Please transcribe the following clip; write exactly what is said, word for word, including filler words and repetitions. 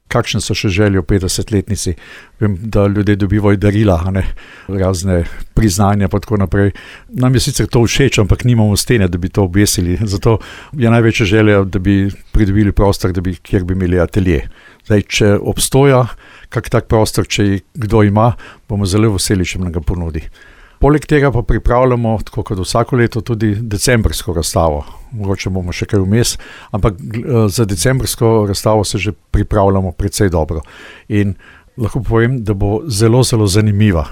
kakšne so še želje v petdesetletnici. Vem, da ljudje dobivajo darila, a ne, razne priznanja pa tako naprej. Nam je sicer to všeč, ampak nimamo stene, da bi to obesili. Zato je največja želja, da bi pridobili prostor, da bi, kjer bi imeli atelje. Zdaj, če obstoja kak tak prostor, če kdo ima, bomo zelo veseli, če nam ga ponudi. Poleg tega pa pripravljamo, tako kot vsako leto, tudi decembrsko razstavo. Mogoče bomo še kaj vmes, ampak za decembrsko razstavo se že pripravljamo precej dobro. In lahko povem, da bo zelo, zelo zanimiva.